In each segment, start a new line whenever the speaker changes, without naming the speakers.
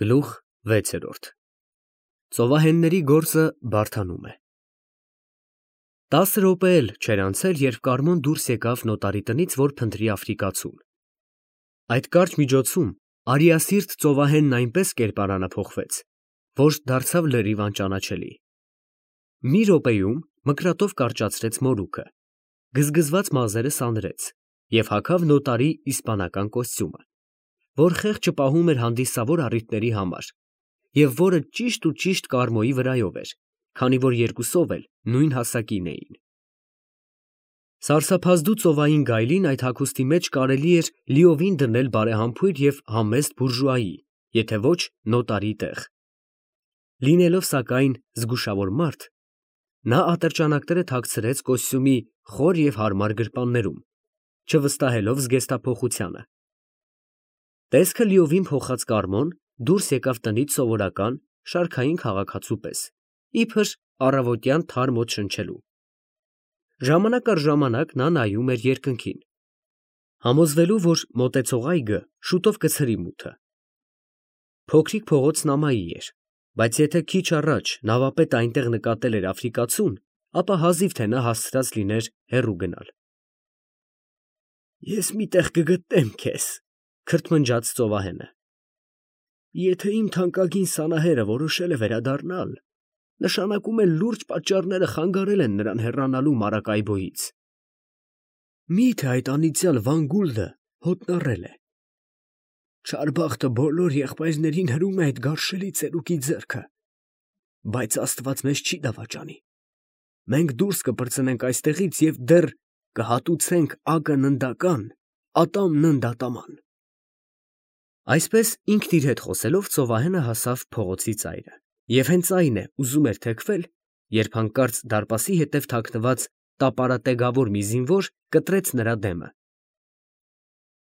Գլուխ 6 Ծովահենների գործը բարդանում է։ 10 րոպե էլ չէր անցել, երբ Կարմոն դուրս եկավ նոտարի տնից, որ փնտրի աֆրիկացուն։ Այդ կարճ միջոցում արիասիրտ ծովահենն այնպես կերպարանափոխվեց, որ դարձավ լրիվ անճանաչելի։ Մի րոպեում մկրատով կարճացրեց մորուքը, գզգզված մազերը սանրեց և հագավ նոտարի իսպանական կոստյումը, որ խեղճը պահում էր հանդիսավոր առիթների համար և որը ճիշտ Կարմոյի վրայով էր, քանի որ երկուսով էլ նույն հասակին էին։ Սարսափազդու ծովային գայլին այդ հագուստի մեջ կարելի էր լիովին դնել բարեհամբույր և համեստ բուրժուայի, եթե ոչ նոտարի տեղ։ Լինելով սակայն զգուշավոր մարդ, նա ատրճանակները թաքցրեց կոստյումի խոր և հարմար գրպաններում, չվստահելով զգեստափոխությանը։ Տեսքը լիովին փոխած Կարմոն դուրս եկավ տնից սովորական, շարքային քաղաքացու պես, իբր առավոտյան թարմ օդ շնչելու։ Ժամանակ առ ժամանակ նա նայում էր երկնքին, համոզվելու, որ մոտեցող այգը շուտով կցրի մութը։ Փոքրիկ փողոցն ամայի էր, բայց եթե քիչ առաջ նավապետը այնտեղ նկատել էր աֆրիկացուն, ապա հազիվ թե նա հասցրած լիներ հեռու գնալ։ «Ես մի տեղ կգտնեմ քեզ», քրթմնջաց ծովահենը։ «Եթե իմ թանկագին սանահերը որոշել է վերադառնալ, նշանակում է լուրջ պատճառները խանգարել են նրան հեռանալու Մարակայբոյից։ Մի՞թե այդ անիծյալ Վանգուլդը հոտնառել է։ Չար բախտը բոլոր եղբայրներին հրում է այդ գարշելի ծերուկի ձեռքը, բայց Աստված մեզ չի դավաճանի։ Մենք դուրս կպրծնենք այստեղից և դեռ կհատուցենք ակը ննդական, ատամն ընդատաման»։ Այսպես ինքն իր հետ խոսելով ծովահենը հասավ փողոցի ծայրը, և հենց այն է ուզում էր թեքվել, երբ հանկարծ դարպասի հետև թաքնված տապարատեգավոր մի զինվոր կտրեց նրա դեմը։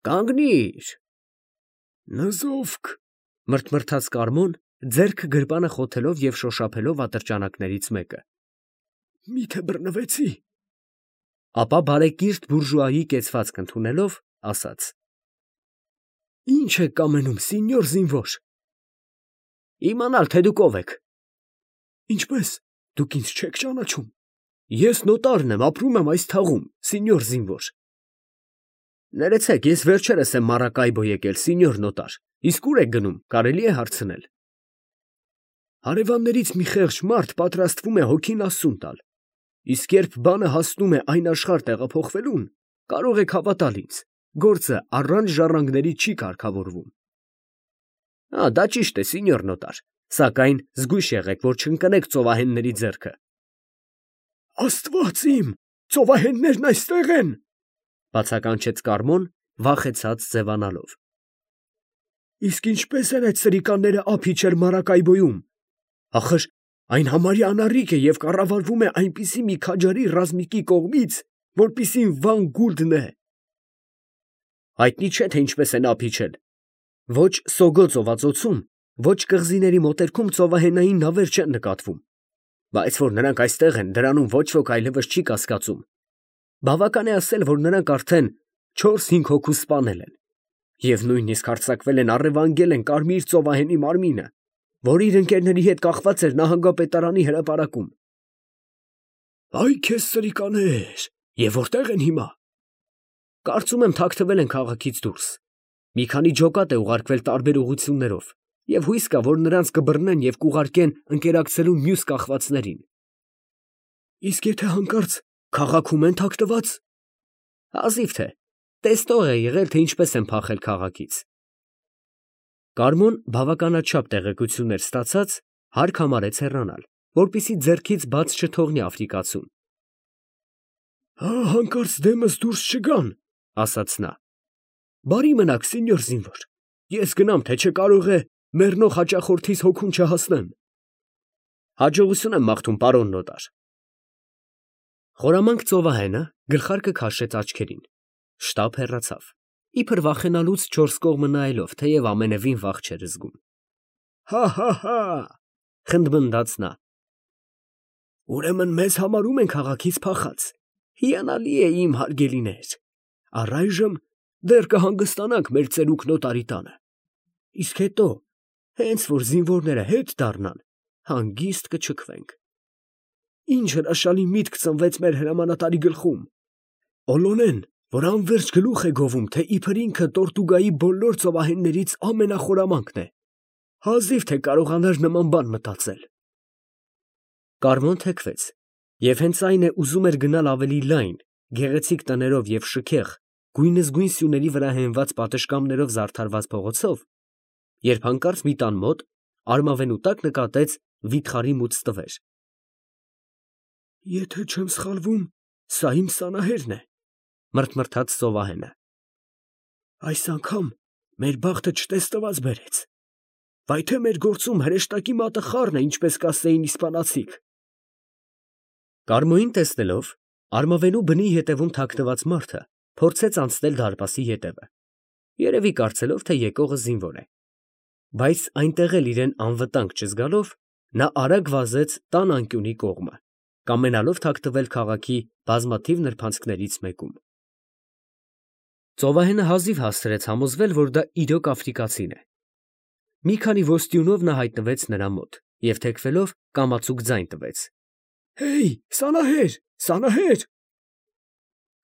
«Կանգնի՛ր»։ «Նզովք», մրթմրթաց Կարմոն, ձեռքը գրպանը խոթելով և շոշափելով ատրճանակներից մեկը։ «Մի՞թե բռնվեցի»։ Ապա բարեկիրթ բուրժուայի կեցվածք ընդունելով, ասաց. «Ի՞նչ եք կամենում, սինյոր զինվոր»։ «Իմանալ, թե դուք ով եք»։ «Ինչպե՞ս, դուք ինձ չեք ճանաչում։ Ես նոտարն եմ, ապրում եմ այս թաղում, սինյոր զինվոր»։ «Ներեցեք, ես վերջերս եմ Մարակայբո եկել, սինյոր նոտար, իսկ ո՞ւր եք գնում, կարելի է հարցնել»։ «Հարևաններից մի խեղճ մարդ պատրաստվում է հոգին ասուն տալ, իսկ երբ բանը հասնում է այն աշխարհ տեղափոխվելուն, կարող եք հավատալ ինձ, գործը առանց ժառանգների չի կարգավորվում»։ «Դա ճիշտ է, սինյոր նոտար, սակայն զգույշ եղեք, որ չընկնեք ծովահենների ձեռքը»։ «Աստված իմ, ծովահեններն այստեղ են», բացականչեց Կարմոն, վախեցած ձևանալով։ «Իսկ ինչպե՞ս են այդ սրիկանները ափ իջել Մարակայբոյում, ախր այն համարյա անառիկ է և կառավարվում է այնպիսի մի քաջարի ռազմիկի կողմից, որպիսին Վանգուլդն է»։ «Հայտնի չէ, թե ինչպես են ափ իջել։ Ոչ Սոգո ծովածոցում, ոչ կղզիների մոտերքում ծովահենային նավեր չեն նկատվում, բայց որ նրանք այստեղ են, դրանում ոչ ոք այլևս չի կասկածում։ Բավական է ասել, որ նրանք արդեն 4-5 հոգու սպանել են, և նույնիսկ հարձակվել են առևանգել են Կարմիր ծովահենի մարմինը, որ իր ընկերների հետ կախված էր նահանգապետարանի հրապարակում»։ «Այ քեզ սրիկաներ, և որտե՞ղ են հիմա»։ «Կարծում եմ թաքնվել են քաղաքից դուրս։ Մի քանի ջոկատ է ուղարկվել տարբեր ուղղություններով, և հույս կա, որ նրանց կբռնեն և կուղարկեն ընկերակցելու մյուս կախվածներին»։ «Իսկ եթե հանկարծ քաղաքում են թաքնված»։ «Հազիվ թե, տեսնող է եղել, թե ինչպես են փախել քաղաքից»։ Կարմոն բավականաչափ տեղեկություններ ստացած, հարկ համարեց հեռանալ, որպեսզի ձեռքից բաց չթողնի աֆրիկացուն։ «Հանկարծ դեմս դուրս չգան», ասաց նա։ «Բարի մնաք, սինյոր զինվոր, ես գնամ, թե չէ կարող է մեռնող հաճախորդիս հոգուն չհասնեմ»։ «Հաջողություն եմ մաղթում, պարոն նոտար»։ Խորամանկ ծովահենը գլխարկը քաշեց աչքերին, շտապ հեռացավ, իբր վախենալուց չորս կողմը նայելով, թեև ամենևին վախ չէր զգում։ «Հա՛, խնդմնդաց նա։ Ուրեմն մեզ համարում են քաղաքից փախած, հիանալի է, իմ հարգելիներ, առայժմ դեռ կհանգստանանք մեր ծերուկ նոտարի տանը, իսկ հետո Հենց որ զինվորները հետ դառնան, հանգիստ կչքվենք։ Ինչ հրաշալի միտք ծնվեց մեր հրամանատարի գլխում։ Օլոնեն, որ անverջ գլուխ է գովում, թե իբր ինքը Տորտուգայի բոլոր ծովահեններից ամենախորամանկն է, հազիվ թե կարողանար նման բան մտածել։ Կարմոն թեքվեց, և հենց այն է ուզում էր գնալ ավելի լայն, գեղեցիկ տներով և շքեղ, գույնզգույն սյուների վրա հենված պատշգամբներով զարդարված փողոցով, երբ հանկարծ մի տան մոտ արմավենու տակ նկատեց վիթխարի մուծ տվեր։ Եթե չեմ սխալվում, սա իմ Սանահերն է, մրթմրթաց ծովահենը։ Այս անգամ մեր բախտը չտեսնված բերեց։ Վայ թե մեր գործում հրեշտակի մատը խառն է, ինչպես կասեին իսպանացիք։ Կարմոին տեսնելով, արմավենու բնի ետևում թաքնված մարդը փորձեց անցնել դարպասի ետևը, երևի կարծելով, թե եկողը զինվոր է, բայց այնտեղ էլ իրեն անվտանգ չզգալով, նա արագ վազեց տան անկյունի կողմը, կամենալով թաքնվել քաղաքի բազմաթիվ նրբանցքներից մեկում։ Ծովահենը հազիվ հասցրեց համոզվել, որ դա իրոք աֆրիկացին է։ Մի քանի ոստյունով նա հայտնվեց նրա մոտ և թեքվելով կամացուկ ձայն տվեց. «Հեյ, Սանահեր, Սանահեր»։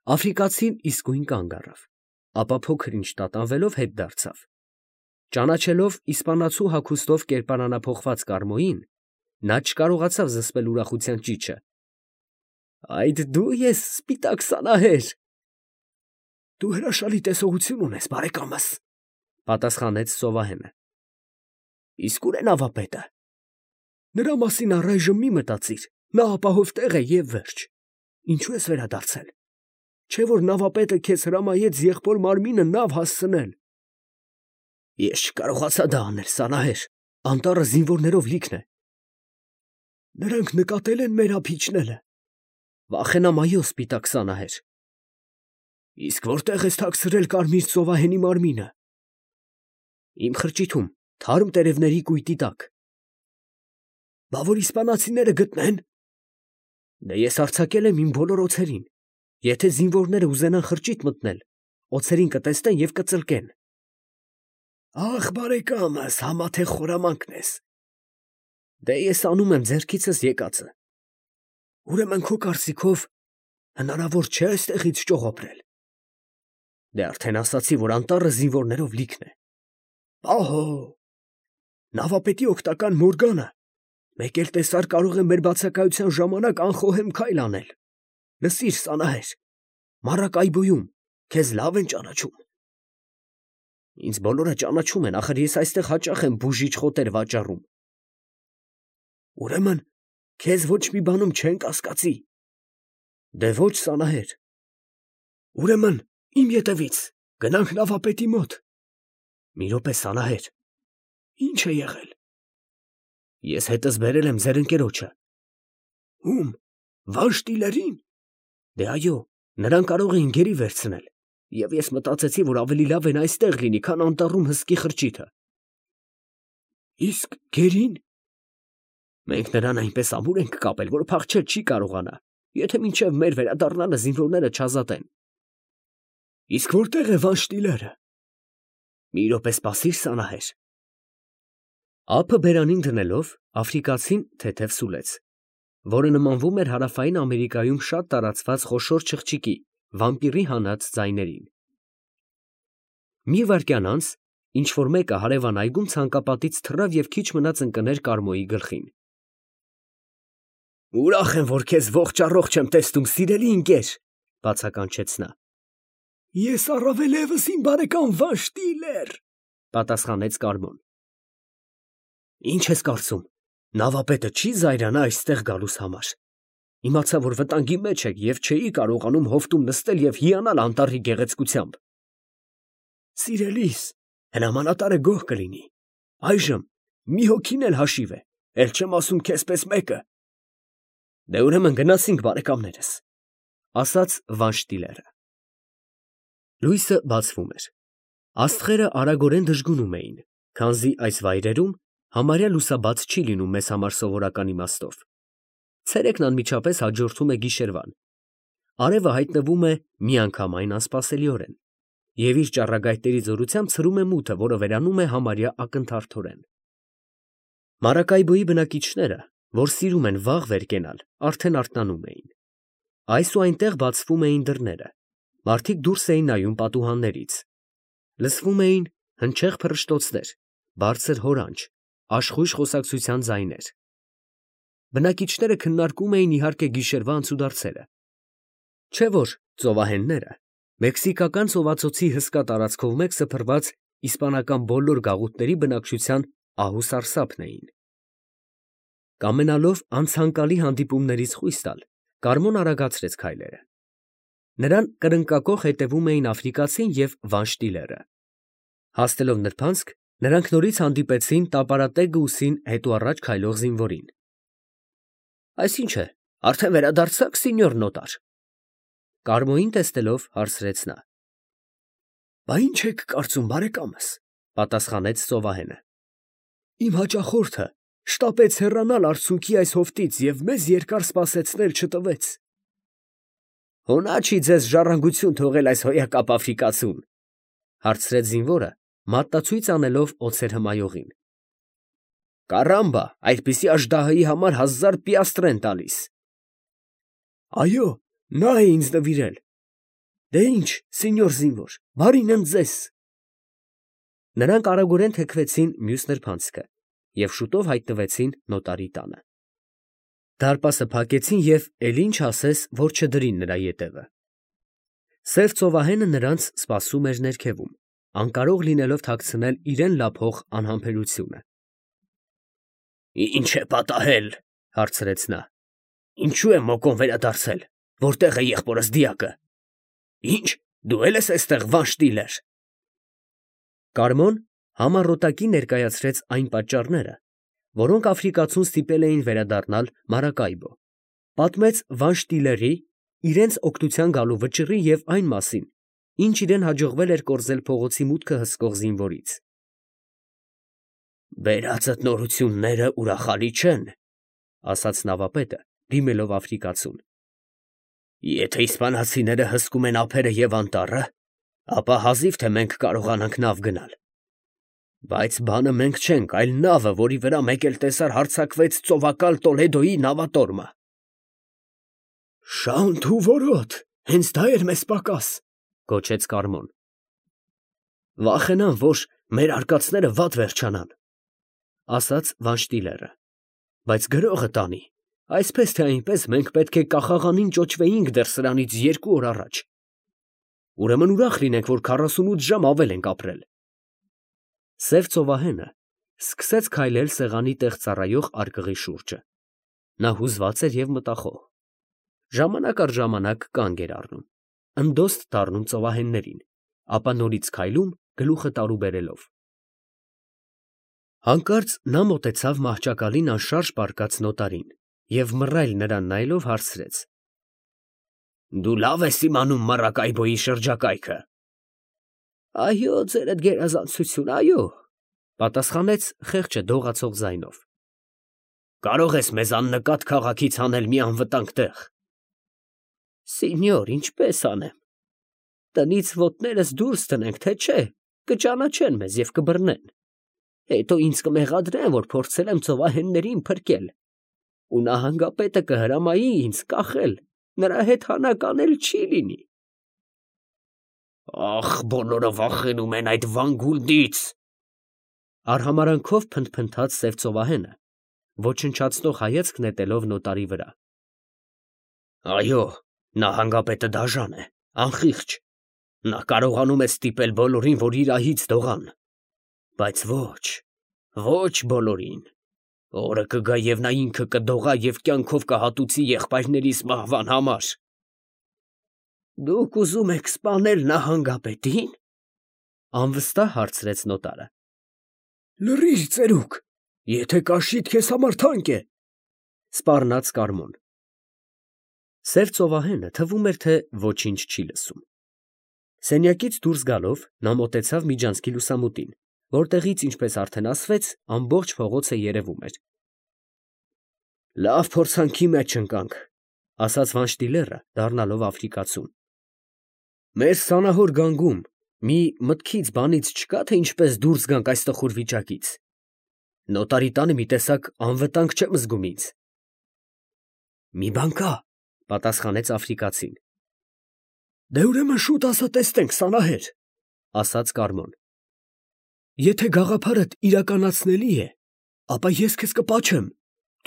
Աֆրիկացին իսկույն կանգ առավ, ապա փոքր ինչ տատանվելով հետ դարձավ։ Ճանաչելով իսպանացու հագուստով կերպարանափոխված Կարմոյին, նա չկարողացավ զսպել ուրախության ճիչը։ Այդ դու ես, սպիտակ Սանահեր։ Դու հրաշալի տեսողություն ունես, բարեկամս, պատասխանեց ծովահենը։ Իսկ ուր է նավապետը։ Նրա մասին առայժմ մի մտածիր, նա ապահով տեղ է և վերջ։ Ինչու ես վերադարձել։ Չէ որ նավապետը քեզ հրամայեց եղբոր մարմինը նավ հասցնել։ Ես չկարողացա դա անել, Սանահեր, անտառը զինվորներով լիքն է։ Նրանք նկատել են մեր ափիչները։ Վախենամ, այո, սպիտակ Սանահեր։ Իսկ որտեղ ես թաքցրել կարմիր ծովահենի մարմինը։ Իմ խրճիթում, թարմ տերևների կույտի տակ։ Բա որ իսպանացիները գտնեն։ Դե ես արձակել եմ իմ բոլոր օձերին։ Եթե զինվորները ուզենան խրճիթ մտնել, օձերին կտեսնեն և կծլկեն։ Ախ, բարեկամս, համա թե խորամանկն ես։ Դե ես անում եմ ձեռքիցս եկածը։ Ուրեմն քո կարծիքով հնարավոր չէ այստեղից ճողոպրել։ Դե արդեն ասացի, որ անտառը զինվորներով լիքն է։ Ահո, նավապետի օգտական Մորգանը մեկ էլ տեսար կարող է մեր բացակայության ժամանակ անխոհեմ քայլ անել։ Լսիր, Սանահեր, Մարակայբոյում քեզ լավ են ճանաչում։ Ինձ բոլորը ճանաչում են, ախր ես այստեղ հաճախ եմ բուժիչ խոտեր վաճառում։ Ուրեմն քեզ ոչ մի բանում չեն կասկածի։ Դե ոչ, Սանահեր։ Ուրեմն իմ ետևից գնանք նավապետի մոտ։ Մի րոպե, Սանահեր։ Ինչ է եղել։ Ես հետս բերել եմ ձեր ընկերոջը։ Ում, Վանշտիլերին։ Դե այո, նրան կարող էին գերի վերցնել, և ես մտածեցի, որ ավելի լավ են այստեղ լինի, քան անտառում հսկի խրճիթը։ Իսկ գերին։ Մենք նրան այնպես ամուր ենք կապել, որ փախչել չի կարողանա, եթե մինչև մեր վերադառնալը զինվորները չազատեն։ Իսկ որտեղ է Վանշտիլերը։ Մի րոպե սպասիր, Սանահեր։ Ափը բերանին դնելով, աֆրիկացին թեթև սուլեց, որը նմանվում էր հարավային Ամերիկայում շատ տարածված խոշոր չղջիկի, վամպիրի հանած ձայներին։ Մի վայրկյան անց ինչ-որ մեկը հարևան այգում ցանկապատից թռավ և քիչ մնաց ընկներ Կարմոյի գլխին։ Ուրախ եմ, որ քեզ ողջ առողջ եմ տեսնում, սիրելի ընկեր, բացականչեց նա։ Ես առավել ևս իմ բարեկամ Վանշտիլեր, պատասխանեց Կարմոն։ Ինչ ես կարծում, նավապետը չի զայրանա այստեղ գալուս համար։ Իմացա, որ վտանգի մեջ եք և չէի կարողանում հովտում նստել և հիանալ անտառի գեղեցկությամբ։ Սիրելիս, հրամանատարը գոհ կլինի։ Այժմ մի հոգին էլ հաշիվ է, էլ չեմ ասում քեզպես մեկը։ Դե ուրեմն գնացինք, բարեկամներս, ասաց Վանշտիլերը։ Լույսը բացվում էր։ Աստղերը արագորեն դժգունում էին, քանզի այս վայրերում համարյա լուսաբաց չի լինում մեզ համար սովորական իմաստով։ Ցերեկն անմիջապես հաջորդում է գիշերվան։ Արևը հայտնվում է միանգամայն անսպասելիորեն և իր ճառագայթների զորությամբ ցրում է մութը, որը վերանում է համարյա ակնթարթորեն։ Մարակայբոյի բնակիչները, որ սիրում են վաղ վեր կենալ, արդեն արթնանում էին։ Այս ու այնտեղ բացվում էին դռները, մարդիկ դուրս էին նայում պատուհաններից։ Լսվում էին հնչեղ փռշտոցներ, բարձր հորանջ, աշխույժ խոսակցության ձայներ։ Բնակիչները քննարկում էին իհարկե գիշերվա անցուդարձերը։ Չէ որ ծովահենները մեքսիկական ծովածոցի հսկա տարածքով մեկ սփռված իսպանական բոլոր գաղութների բնակչության ահուսարսափն էին։ Կամենալով անցանկալի հանդիպումներից խույս տալ, Կարմոն արագացրեց քայլերը։ Նրան կրնկակոխ հետևում էին աֆրիկացին և Վանշտիլերը։ Հասնելով նրբանցք, նրանք նորից հանդիպեցին տապարատեգ ուսին հետուառաջ քայլող զինվորին։ Այս ի՞նչ է, արդեն վերադարձա՞ք, սինյոր նոտար։ Կարմոյին տեսնելով հարցրեց նա։ Բա ի՞նչ եք կարծում, բարեկամս, պատասխանեց ծովահենը։ Իմ հաճախորդը շտապեց հեռանալ արցունքի այս հովտից և մեզ երկար սպասեցնել չտվեց։ Հո նա չի ձեզ ժառանգություն թողել այս հոյակապ աֆրիկացուն, հարցրեց զինվորը, մատնացույց անելով օձեր հմայողին։ Կարամբա, այդպիսի աժդահայի համար 1000 պիաստրեր են տալիս։ Այո, նա է ինձ նվիրել։ Դե ինչ, սինյոր զինվոր, բարինն ձեզ։ Նրանք արագորեն թեքվեցին մյուս նրբանցքը և շուտով հայտնվեցին նոտարի տանը։ Դարպասը փակեցին և էլ ինչ ասես, որ չդրին նրա ետևը։ Սև ծովահենը նրանց սպասում էր ներքևում, անկարող լինելով թաքցնել իրեն լափող անհամբերությունը։ Ինչ է պատահել, հարցրեց նա։ Ինչու է մոկոն վերադարձել, որտեղ է եղբորս դիակը։ Ինչ, դու էլ ես այստեղ, Վանշտիլեր։ Կարմոն համառոտակի ներկայացրեց այն պատճառները, որոնք աֆրիկացուն ստիպել էին վերադառնալ Մարակայբո, պատմեց Վանշտիլերի, իրենց օգնության գալու վճռի և այն մասին, ինչ իրեն հաջողվել էր կորզել փողոցի մուտքը հսկող զինվորից։ Բերածդ նորությունները ուրախալի չեն, ասաց նավապետը, դիմելով աֆրիկացուն։ Եթե իսպանացիները հսկում են ափերը և անտառը, ապա հազիվ թե մենք կարողանանք նավ գնալ։ Բայց բանը մենք չենք, այլ նավը, որի վրա մեկ էլ տեսար հարձակվեց ծովակալ Տոլեդոյի նավատորմը։ Շանթ ու որոտ, հենց դա էր մեզ պակաս, գոչեց Կարմոն։ Վախենամ, որ մեր արկածները վատ վերջանան, ասաց Վանշտիլերը, բայց գրողը տանի, այսպես թե այնպես մենք պետք է կախաղանին ճոճվեինք դեռ սրանից 2 օր առաջ։ Ուրեմն ուրախ լինենք, որ 48 ժամ ավել ենք ապրել։ Սև ծովահենը սկսեց քայլել սեղանի տեղ ծառայող արկղի շուրջը։ Նա հուզված էր և մտախոհ։ Ժամանակ առ ժամանակ կանգ էր առնում, ընդոստ դառնում ծովահեններին, ապա նորից քայլում, գլուխը տարուբերելով։ Հանկարծ նա մոտեցավ մահճակալին անշարժ պառկած նոտարին և մռայլ նրան նայելով հարցրեց. Դու լավ ես իմանում Մարակայբոյի շրջակայքը։ Այո, ձերդ գերազանցություն, այո, պատասխանեց խեղճը դողացող ձայնով։ Կարող ես մեզ աննկատ քաղաքից հանել մի անվտանգ տեղ։ Սինյոր, ինչպես անեմ։ Տնից ոտներս դուրս տնենք, թե չէ, կճանաչեն մեզ և կբռնեն։ Հետո ինձ կմեղադրեն, որ փորձել եմ ծովահեններին փրկել։ Ու նահանգապետը կհրամայի ինձ կախել, նրա հետ հանականել չի լինի։ Ախ, բոլորը վախենում են այդ Վանգուլդից, արհամարանքով փնթփնթաց սև ծովահենը, ոչնչացնող հայացք նետելով նոտարի վրա։ Այո, նահանգապետը դաժան է, անխիղճ։ Նա կարողանում է ստիպել բոլորին, որ իրահից դողան։ Բայց ոչ բոլորին։ Օրը կգա և նա ինքը կդողա և կյանքով կհատուցի եղբայրներիս մահվան համար։ Դուք ուզում եք սպանել նահանգապետի՞ն, անվստահ հարցրեց նոտարը։ Լռիր, ծերուկ, եթե կաշիդ քեզ համար թանկ է, սպառնաց Կարմոն։ Սև ծովահենը թվում էր, թե ոչինչ չի լսում։ Սենյակից դուրս գալով նա մոտեցավ միջանցքի լուսամուտին, որտեղից, ինչպես արդեն ասվեց, ամբողջ փողոցը երևում էր։ Լավ փորձանքի մեջ ընկանք, ասաց Վանշտիլերը, դառնալով աֆրիկացուն։ Մեր սանահոր գանգում մի մտքից բանից չկա, թե ինչպես դուրս գանք այս տխուր վիճակից։ Նոտարի տանը մի տեսակ անվտանգ չեմ զգում ինձ։ Մի բան կա, պատասխանեց աֆրիկացին։ Դե ուրեմն շուտ ասա տեսնենք, Սանահեր, ասաց Կարմոն։ Եթե գաղափարդ իրականացնելի է, ապա ես քեզ կպաչեմ,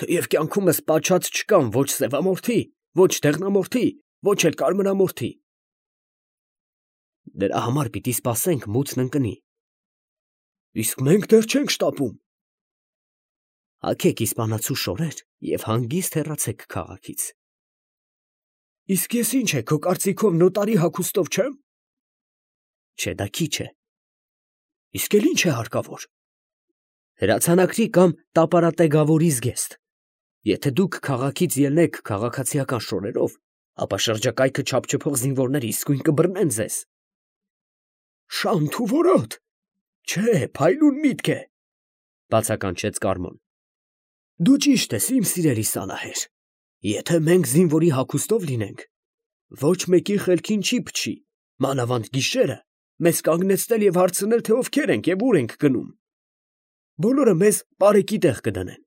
թեև կյանքումս պաչած չկամ ոչ սևամորթի, ոչ դեղնամորթի, ոչ էլ կարմրամորթի։ Դրա համար պիտի սպասենք մութն ընկնի։ Իսկ մենք դեռ չենք շտապում։ Հագեք իսպանացու շորեր և հանգիստ հեռացեք քաղաքից։ Իսկ ես ինչ է, քո կարծիքով նոտարի հագուստով չեմ։ Չէ, դա քիչ է։ Իսկ էլ ինչ է հարկավոր։ Հրացանակրի կամ տապարատեգավորի զգեստ։ Եթե դուք քաղաքից ելնեք քաղաքացիական շորերով, ապա շրջակայքը չափչփող զինվորները իսկույն կբռնեն ձեզ։ Շանթ ու որոտ։ Չէ, փայլուն միտք է, բացականչեց Կարմոն։ Դու ճիշտ ես, իմ սիրելի Սանահեր։ Եթե մենք զինվորի հագուստով լինենք, ոչ մեկի խելքին չի փչի, մանավանդ գիշերը, մեզ կանգնեցնել և հարցնել, թե ովքեր ենք և ուր ենք գնում։ Բոլորը մեզ պարեկի տեղ կդնեն,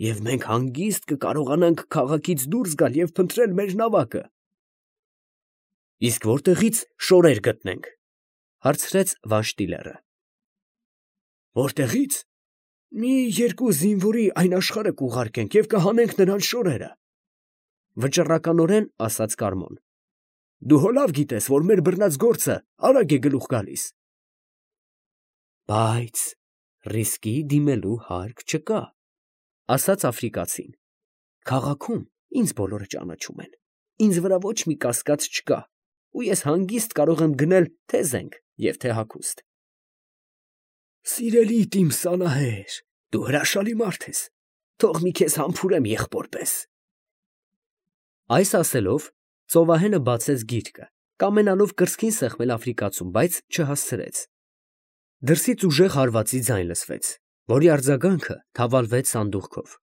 և մենք հանգիստ կկարողանանք քաղաքից դուրս գալ և փնտրել մեր նավակը։ Իսկ որտեղից շորեր գտնենք, հարցրեց Վանշտիլերը։ Որտեղից։ Մի երկու զինվորի այն աշխարհը կուղարկենք և կհանենք նրանց շորերը, վճռականորեն ասաց Կարմոն։ Դու հո լավ գիտես, որ մեր բռնած գործը արագ է գլուխ գալիս։ Բայց ռիսկի դիմելու հարկ չկա, ասաց աֆրիկացին։ Քաղաքում ինձ բոլորը ճանաչում են, ինձ վրա ոչ մի կասկած չկա, ու ես հանգիստ կարող եմ գնել թե զենք և թե հագուստ։ Սիրելի իմ Սանահեր, դու հրաշալի մարդ ես, թող մի քեզ համբուրեմ եղբոր պես։ Այս ասելով ծովահենը բացեց գիրկը, կամենալով կրծքին սեղմել աֆրիկացուն, բայց չհասցրեց։ Դրսից ուժեղ հարվածի ձայն լսվեց, որի արձագանքը թավալվեց սանդուղքով։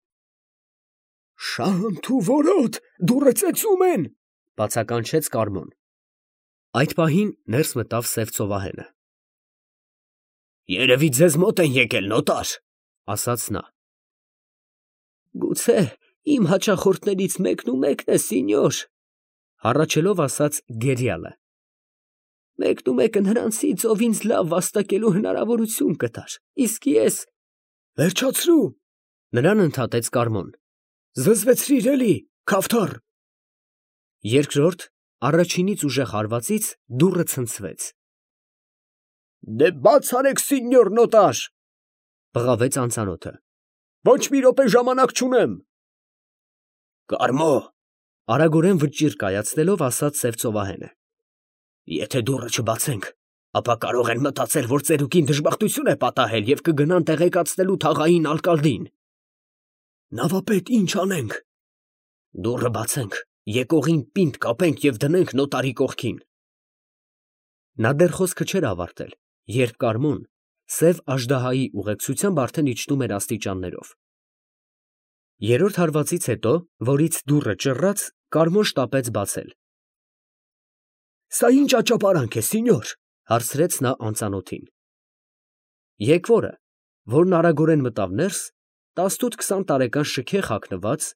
Շանթ ու որոտ, դուռը ծեծում են, բացականչեց Կարմոն։ Այդ պահին ներս մտավ սև ծովահենը։ Երևի ձեզ մոտ են եկել, նոտար, ասաց նա։ Գուցե իմ հաճախորդներից մեկն ու մեկն է, սինյոր, հառաչելով ասաց Գերիալը։ Մեկն ու մեկը նրանցից, ով ինձ լավ վաստակելու հնարավորություն կտար, իսկ ես… Վերջացրու, նրան ընդհատեց Կարմոն։ Զզվեցրիր էլի, քավթառ։ Երկրորդ, առաջինից ուժեղ հարվածից դուռը ցնցվեց։ Դե բաց արեք, սինյոր նոտար, բղավեց անծանոթը։ Ոչ մի րոպե ժամանակ չունեմ։ Կարմո, արագորեն վճիռ կայացնելով ասաց սև ծովահենը։ Եթե դուռը չբացենք, ապա կարող են մտածել, որ ծերուկին դժբախտություն է պատահել և կգնան տեղեկացնելու թաղային ալկալդին։ Նավապետ, ինչ անենք։ Դուռը բացենք, եկողին պինդ կապենք և դնենք նոտարի կողքին։ Նա դեռ խոսքը չէր ավարտել, երբ Կարմոն սև աժդահայի ուղեկցությամբ արդեն իջնում էր աստիճաններով։ Երրորդ հարվածից հետո, որից դուռը ճռռաց, Կարմոն շտապեց բացել։ Սա ինչ աճապարանք է, սինյոր, հարցրեց նա անծանոթին։ Եկվորը, որն արագորեն մտավ ներս, 18-20 տարեկան շքեղ հագնված,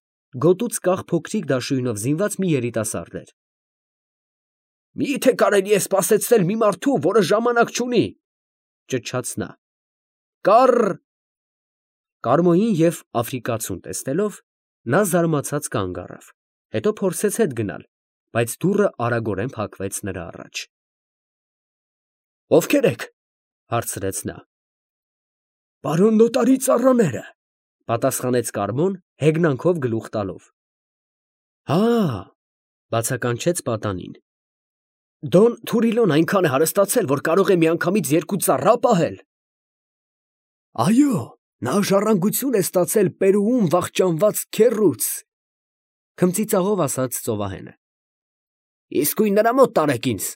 գոտուց կախ փոքրիկ դաշույնով զինված մի երիտասարդ էր։ Մի՞թե կարելի է սպասեցնել մի մարդու, որը ժամանակ չունի, ճչաց նա։ Կառ… Կարմոյին և աֆրիկացուն տեսնելով, նա զարմացած կանգ առավ, հետո փորձեց հետ գնալ, բայց դուռը արագորեն փակվեց նրա առաջ։ Ովքեր եք, հարցրեց նա։ Պարոն նոտարի ծառաները, պատասխանեց Կարմոն, հեգնանքով գլուխ տալով։ Հա, բացականչեց պատանին։ Դոն Թուրիլոն այնքան է հարստացել, որ կարող է միանգամից երկու ծառա պահել։ Այո, նա ժառանգություն է ստացել Պերուում վախճանված քեռուց, քմծիծաղով ասաց ծովահենը։ Իսկույն նրա մոտ տարեք ինձ,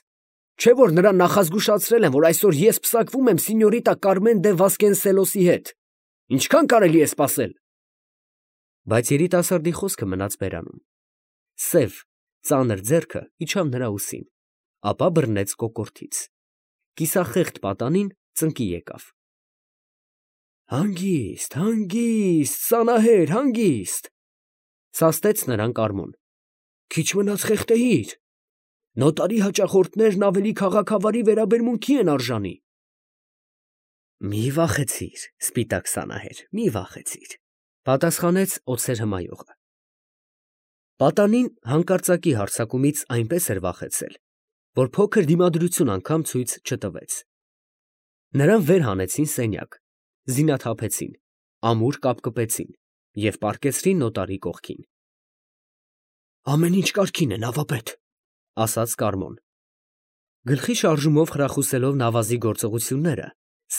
չէ՞ որ նրան նախազգուշացրել եմ, որ այսօր ես պսակվում եմ սինյորիտա Կարմեն դե Վասկենսելոսի հետ։ Ինչքան կարելի է սպասել։ Բայց երիտասարդի խոսքը մնաց բերանում։ Սև, ծանր ձեռքը իջավ նրա ուսին, ապա բռնեց կոկորդից։ Կիսախեղդ պատանին ծնկի եկավ։ Հանգիստ, հանգիստ, Սանահեր, հանգիստ, սաստեց նրան Կարմոն, քիչ մնաց խեղդեիր, նոտարի հաճախորդներն ավելի քաղաքավարի վերաբերմունքի են արժանի։ Մի վախեցիր, սպիտակ Սանահեր, մի վախեցիր, պատասխանեց օձեր հմայողը։ Պատանին հանկարծակի հարձակումից այնպես էր վախեցել, որ փոքր դիմադրություն անգամ ցույց չտվեց։ Նրան վեր հանեցին սենյակ, զինաթափեցին, ամուր կապկպեցին և պառկեցրին նոտարի կողքին։ Ամեն ինչ կարգին է, նավապետ, ասաց Կարմոն։ Գլխի շարժումով խրախուսելով նավազի գործողությունները,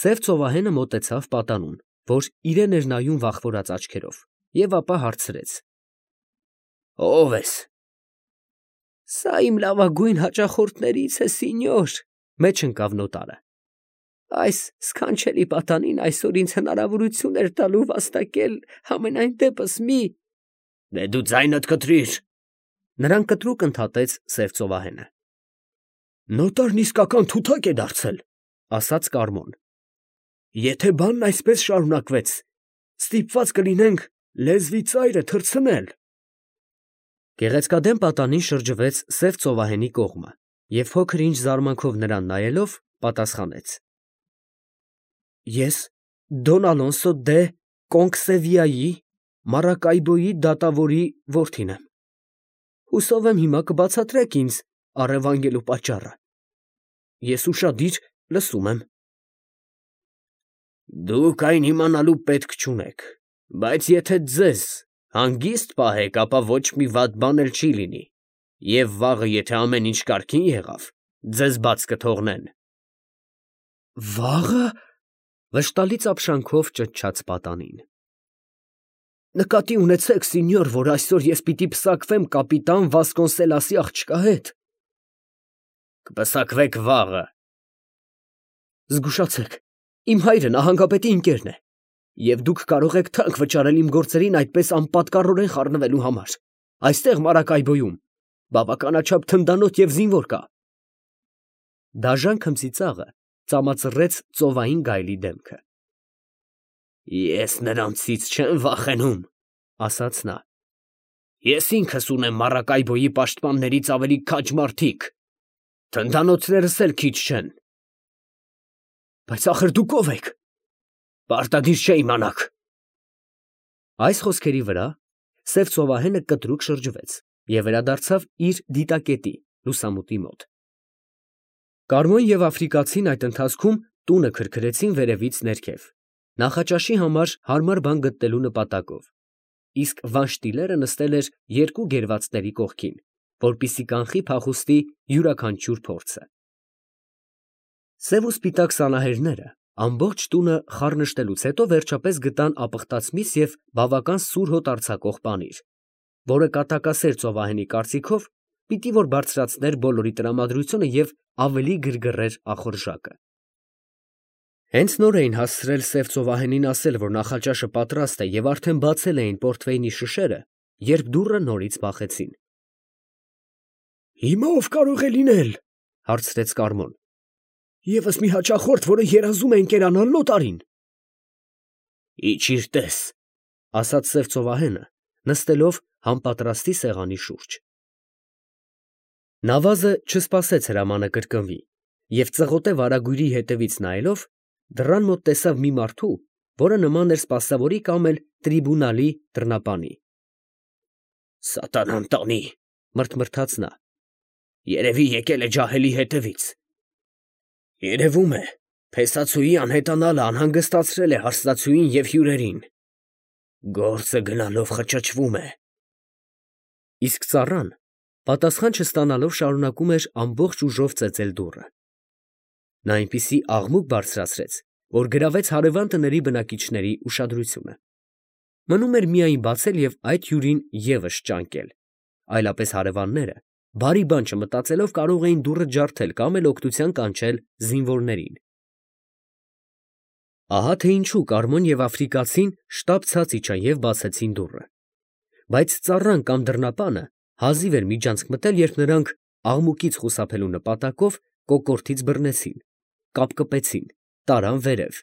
սև ծովահենը մոտեցավ պատանուն, որ իրեն էր նայում վախվորած աչքերով, և ապա հարցրեց. Ո՞վ ես։ Սա իմ լավագույն հաճախորդներից է, սինյոր, մեջ ընկավ նոտարը։ Այս սքանչելի պատանին այսօր ինձ հնարավորություն էր տալու վաստակել համենայն դեպս մի… Դե դու ձայնդ կտրիր… Նրան կտրուկ ընդհատեց սև ծովահենը։ Նոտարն իսկական թութակ է դարձել, ասաց Կարմոն։ Եթե բանն այսպես շարունակվեց, ստիպված կլինենք լեզվի ծայրը թռցնել։ Գեղեցկադեմ պատանին շրջվեց սև ծովահենի կողմը և փոքր ինչ զարմանքով նրան նայելով, պատասխանեց. Ես Դոն Ալոնսո դե Կոնքսևիայի Մարակայբոյի դատավորի որդին եմ։ Հուսով եմ հիմա կբացատրեք ինձ առևանգելու պատճառը։ Ես ուշադիր լսում եմ։ Դուք այն իմանալու պետք չունեք, բայց եթե ձեզ հանգիստ պահեք, ապա ոչ մի վատ բան էլ չի լինի, և վաղը, եթե ամեն ինչ կարգին եղավ, ձեզ բաց կթողնեն։ Վաղը… վշտալից ապշանքով ճչաց պատանին։ Նկատի ունեցեք, սինյոր, որ այսօր ես պիտի պսակվեմ կապիտան Վասկոնսելասի աղջկա հետ։ Կպսակվեք վաղը։ Զգուշացեք, իմ հայրը նահանգապետի ընկերն է, և դուք կարող եք թանկ վճարել իմ գործերին այդպես անպատկառորեն խառնվելու համար։ Այստեղ Մարակայբոյում բավականաչափ թնդանոթ և զինվոր կա։ Դաժան քմծիծաղը ծամածռեց ծովային գայլի դեմքը։ Ես նրանցից չեմ վախենում, ասաց նա։ Ես ինքս ունեմ Մարակայբոյի պաշտպաններից ավելի քաջ մարդիկ։ Թնդանոթներս էլ քիչ չեն։ Բայց ախր դուք ով եք։ Պարտադիր չէ իմանաք։ Այս խոսքերի վրա սև ծովահենը կտրուկ շրջվեց և վերադարձավ իր դիտակետի լուսամուտի մոտ։ Կարմոն և աֆրիկացին այդ ընթացքում տունը քրքրեցին վերևից ներքև, նախաճաշի համար հարմար բան գտնելու նպատակով, իսկ Վանշտիլերը նստել էր երկու գերվածների կողքին, որպեսզի կանխի փախուստի յուրաքանչյուր փորձը։ Սև ու սպիտակ սանահերները ամբողջ տունը խառնշտելուց հետո վերջապես գտան ապխտած միս և բավական սուր հոտ արձակող պանիր, որը կատակասեր ծովահենի կարծիքով պիտի որ բարձրացներ բոլորի տրամադրությունը և ավելի գրգռեր ախորժակը։ Հենց նոր էին հասցրել սև ծովահենին ասել, որ նախաճաշը պատրաստ է և արդեն բացել էին պորտվեյնի շշերը, երբ դուռը նորից բախեցին։ Հիմա ով կարող է լինել, հարցրեց Կարմոն։ Եվս մի հաճախորդ, որը երազում է ընկերանալ նոտարին։ Իջիր տես, ասաց սև ծովահենը, նստելով համպատրաստի սեղանի շուրջ։ Նավազը չսպասեց հրամանը կրկնվի և ծղոտե վարագույրի հետևից նայելով դռան մոտ տեսավ մի մարդու, որը նման էր սպասավորի կամ էլ տրիբունալի դռնապանի։ Սատանան տանի, մրթմրթաց նա, երևի եկել է ջահելի հետևից։ Երևում է, փեսացուի անհետանալը անհանգստացրել է հարսնացուին և հյուրերին։ Գործը գնալով խճճվում է։ Իսկ ծառան, պատասխան չստանալով, շարունակում էր ամբողջ ուժով ծեծել դուռը։ Նա այնպիսի աղմուկ բարձրացրեց, որ գրավեց հարևան տների բնակիչների ուշադրությունը։ Մնում էր միայն բացել և այդ հյուրին ևս ճանկել, այլապես հարևանները, բարի բան չմտածելով, կարող էին դուռը ջարդել կամ էլ օգնության կանչել զինվորներին։ Ահա թե ինչու Կարմոն և աֆրիկացին շտապ ցած իջան և բացեցին դուռը։ Բայց ծառան կամ դռնապանը հազիվ էր միջանցք մտել, երբ նրանք աղմուկից խուսափելու նպատակով կոկորդից բռնեցին, կապկպեցին, տարան վերև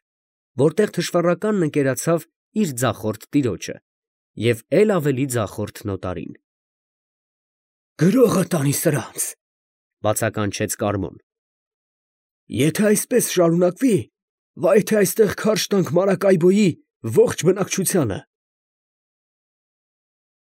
որտեղ թշվառականն ընկերացավ իր ձախորդ տիրոջը և էլ ավելի ձախորդ նոտարին։ «Գրողը տանի սրանց, ֊ բացականչեց Կարմոն։ ֊ Եթե այսպես շարունակվի, վայ թե այստեղ քարշ տանք Մարակայբոյի ողջ բնակչությանը»։